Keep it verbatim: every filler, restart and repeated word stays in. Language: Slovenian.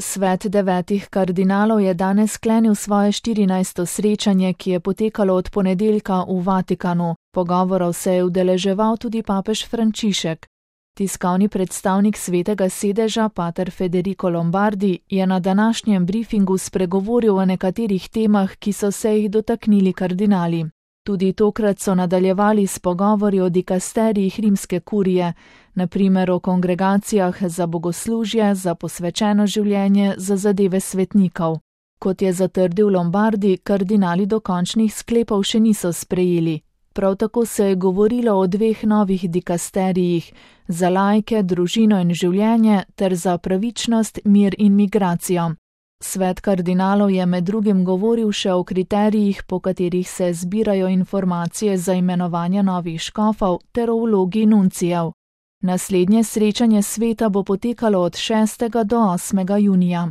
Svet devetih kardinalov je danes sklenil svoje štirinajsto srečanje, ki je potekalo od ponedeljka v Vatikanu. Pogovorov se je udeleževal tudi papež Frančišek. Tiskovni predstavnik Svetega sedeža, pater Federico Lombardi, je na današnjem briefingu spregovoril o nekaterih temah, ki so se jih dotaknili kardinali. Tudi tokrat so nadaljevali s pogovori o dikasterijih rimske kurije, na primer o kongregacijah za bogoslužje, za posvečeno življenje, za zadeve svetnikov. Kot je zatrdil Lombardi, kardinali dokončnih sklepov še niso sprejeli. Prav tako se je govorilo o dveh novih dikasterijih, za laike, družino in življenje ter za pravičnost, mir in migracijo. Svet kardinalov je med drugim govoril še o kriterijih, po katerih se zbirajo informacije za imenovanje novih škofov ter o vlogi nuncijev. Naslednje srečanje sveta bo potekalo od šestega do osmega junija.